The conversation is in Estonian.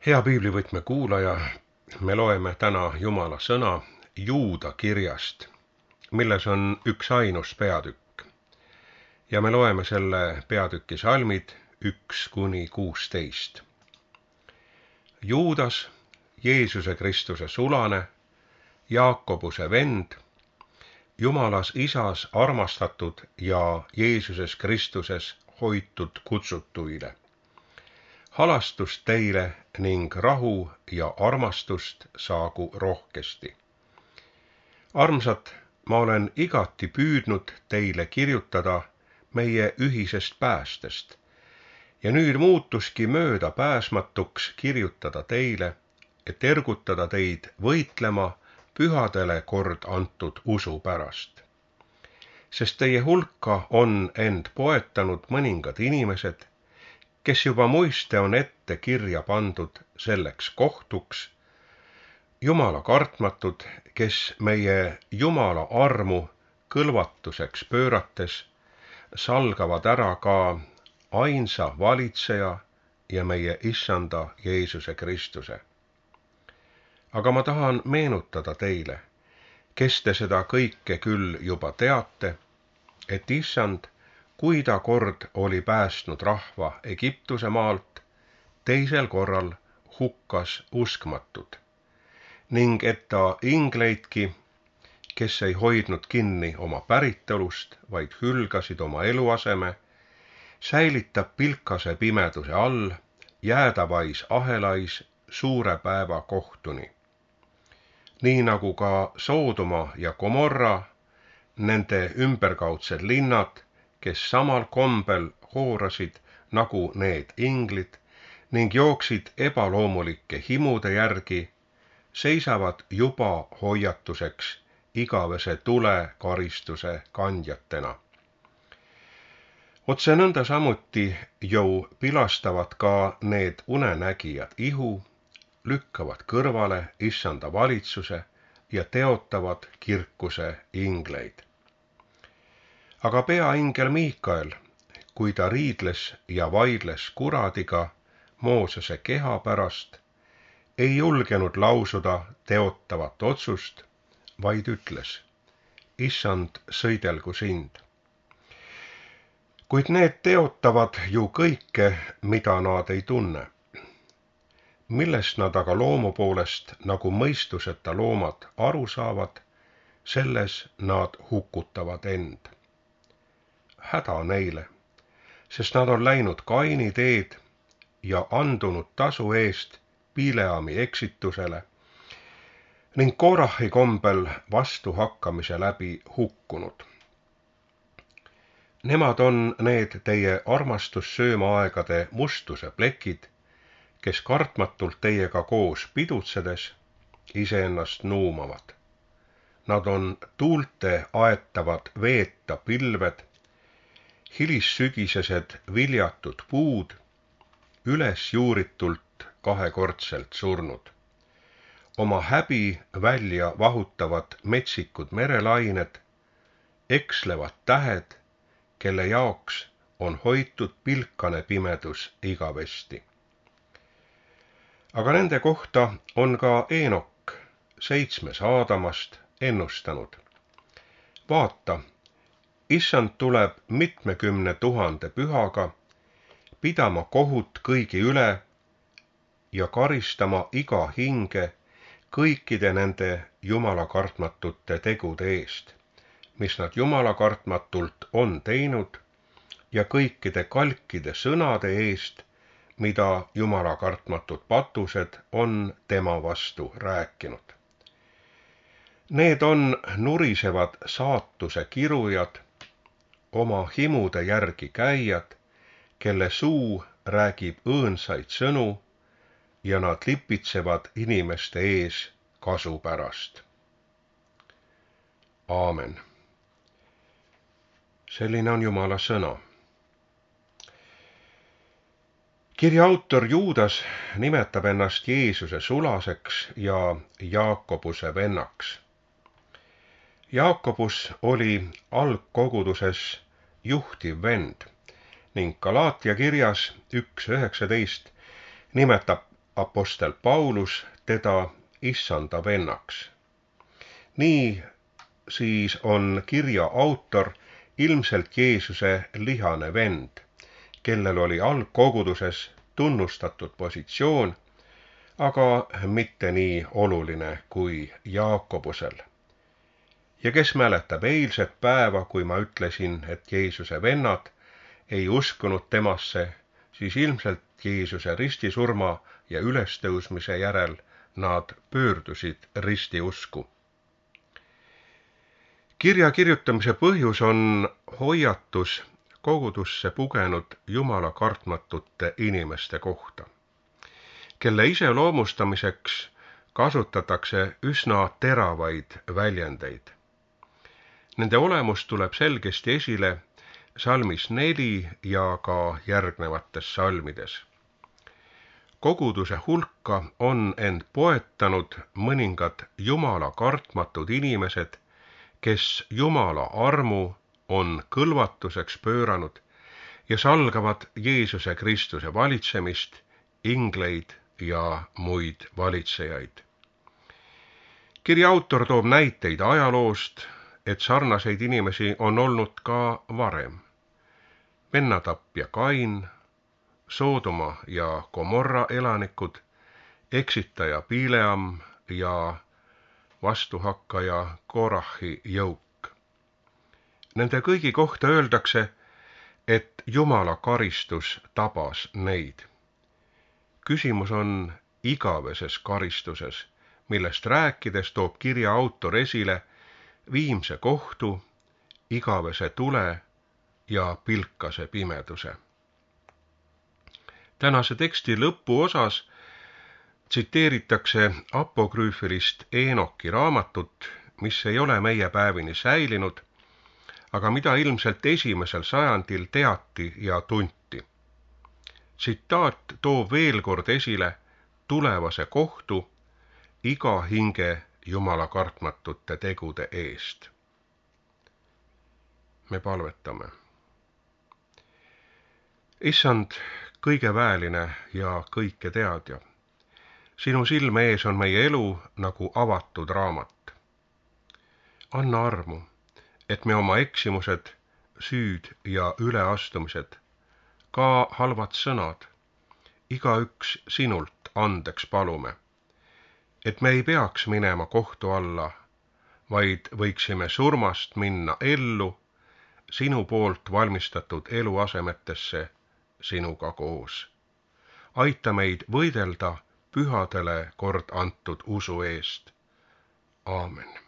Hea piiblivõtme kuulaja, me loeme täna Jumala sõna Juuda kirjast, milles on üksainus peatükk. Ja me loeme selle peatüki salmid 1–16. Juudas, Jeesuse Kristuse sulane, Jaakobuse vend, Jumalas Isas armastatud ja Jeesuses Kristuses hoitud kutsutuile. Halastust teile ning rahu ja armastust saagu rohkesti. Armsad, ma olen igati püüdnud teile kirjutada meie ühisest päästest ja nüüd muutuski möödapääsmatuks kirjutada teile, et ergutada teid võitlema pühadele kord antud usu pärast. Sest teie hulka on end poetanud mõningad inimesed, kes juba muiste on ette kirja pandud selleks kohtuks, Jumala kartmatud, kes meie Jumala armu kõlvatuseks pöörates salgavad ära ka ainsa valitseja ja meie Issanda Jeesuse Kristuse. Aga ma tahan meenutada teile, kes te seda kõike küll juba teate, et Issand, kui ta kord oli päästnud rahva Egiptuse maalt, teisel korral hukkas uskmatud, ning et ta ingleidki, kes ei hoidnud kinni oma päritolust, vaid hülgasid oma eluaseme, säilitab pilkase pimeduse all, jäädavais ahelais suure päeva kohtuni. Nii nagu ka Soodoma ja Gomorra, nende ümberkaudsed linnad, kes samal kombel hoorasid nagu need inglid ning jooksid ebaloomulike himude järgi, seisavad juba hoiatuseks igavese tule karistuse kandjatena. Otse nõnda samuti ju pilastavad ka need unenägijad ihu, lükkavad kõrvale Issanda valitsuse ja teotavad kirkuse ingleid. Aga peaingel Miikael, kui ta riidles ja vaidles kuradiga Moosese keha pärast, ei julgenud lausuda teotavat otsust, vaid ütles: Issand, sõidelgu sind. Kuid need teotavad ju kõike, mida nad ei tunne. Millest nad aga loomu poolest nagu mõistuseta loomad aru saavad, selles nad hukutavad end. Häda neile, sest nad on läinud Kaini teed ja andunud tasu eest Bileami eksitusele ning Korahi kombel vastuhakkamise läbi hukkunud. Nemad on need teie armastussöömaaegade mustuse plekid, kes kartmatult teiega koos pidutsedes iseennast nuumavad. Nad on tuulte aetavad veeta pilved, hilissügisesed viljatud puud, üles juuritult kahekordselt surnud. Oma häbi välja vahutavad metsikud merelained, ekslevad tähed, kelle jaoks on hoitud pilkane pimedus igavesti. Aga nende kohta on ka Eenok, 7. Aadamast, ennustanud. Vaata, Issand tuleb 70 000 pühaga, pidama kohut kõigi üle ja karistama iga hinge kõikide nende Jumala kartmatute tegude eest, mis nad Jumala kartmatult on teinud, ja kõikide kalkide sõnade eest, mida Jumala kartmatud patused on tema vastu rääkinud. Need on nurisevad saatuse kirujad, oma himude järgi käijad, kelle suu räägib õõnsaid sõnu ja nad lipitsevad inimeste ees kasu pärast. Aamen. Selline on Jumala sõna. Kirja autor Juudas nimetab ennast Jeesuse sulaseks ja Jaakobuse vennaks. Jaakobus oli algkoguduses juhtiv vend ning Galaatia kirjas 1:19 nimetab apostel Paulus teda issanda vennaks. Nii siis on kirja autor ilmselt Jeesuse lihane vend, kellel oli algkoguduses tunnustatud positsioon, aga mitte nii oluline kui Jaakobusel. Ja kes mäletab eilset päeva, kui ma ütlesin, et Jeesuse vennad ei uskunud temasse, siis ilmselt Jeesuse ristisurma ja ülestõusmise järel nad pöördusid ristiusku. Kirja kirjutamise põhjus on hoiatus kogudusse pugenud jumala kartmatute inimeste kohta, kelle iseloomustamiseks kasutatakse üsna teravaid väljendeid. Nende olemus tuleb selgesti esile salmis 4 ja ka järgnevates salmides. Koguduse hulka on end poetanud mõningad jumala kartmatud inimesed, kes jumala armu on kõlvatuseks pööranud ja salgavad Jeesuse Kristuse valitsemist, ingleid ja muid valitsejaid. Kirja autor toob näiteid ajaloost, et sarnaseid inimesi on olnud ka varem. Vennatapja Kain, Soodoma ja Gomorra elanikud, eksitaja Bileam ja vastuhakkaja Korahi jõuk. Nende kõigi kohta öeldakse, et jumala karistus tabas neid. Küsimus on igaveses karistuses, millest rääkides toob kirja autor esile viimse kohtu, igavese tule ja pilkase pimeduse. Tänase teksti lõpuosas tsiteeritakse apokrüüfilist Eenoki raamatut, mis ei ole meie päevini säilinud, aga mida ilmselt esimesel sajandil teati ja tunti. Tsitaat toob veel kord esile tulevase kohtu iga hinge jumala kartmatute tegude eest. Me palvetame. Issand, kõige vääline ja kõike teadja, sinu silme ees on meie elu nagu avatud raamat. Anna armu, et me oma eksimused, süüd ja üleastumised, ka halvad sõnad, igaüks sinult andeks palume, et me ei peaks minema kohtu alla, vaid võiksime surmast minna ellu, sinu poolt valmistatud eluasemetesse sinuga koos. Aita meid võidelda pühadele kord antud usu eest. Aamen.